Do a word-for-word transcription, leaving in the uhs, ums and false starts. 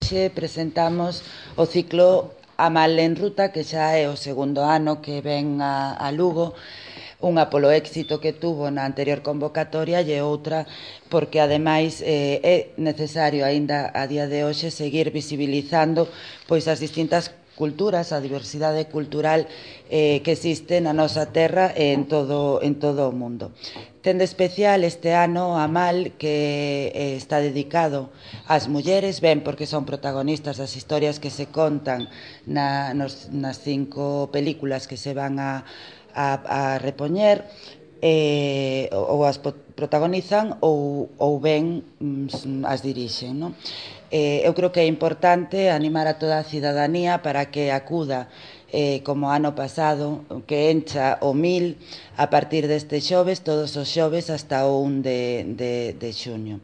hoxe presentamos o ciclo Amal en Ruta, que xa é o segundo ano que ven a, a Lugo, unha polo éxito que tuvo na anterior convocatoria e outra porque ademais eh, é necesario aínda a día de hoxe seguir visibilizando pois as distintas culturas, a diversidade cultural eh, que existe na nosa terra e en todo, en todo o mundo. Ten de especial este ano Amal, que eh, está dedicado ás mulleres, ben porque son protagonistas das historias que se contan na, nos, nas cinco películas que se van a, a, a repoñer, eh, ou as protagonizan ou, ou ben mm, as dirixen, non? Eh, eu creo que é importante animar a toda a cidadanía para que acuda eh, como ano pasado, que encha o mil a partir deste xoves, todos os xoves hasta o un de, de, de xuño.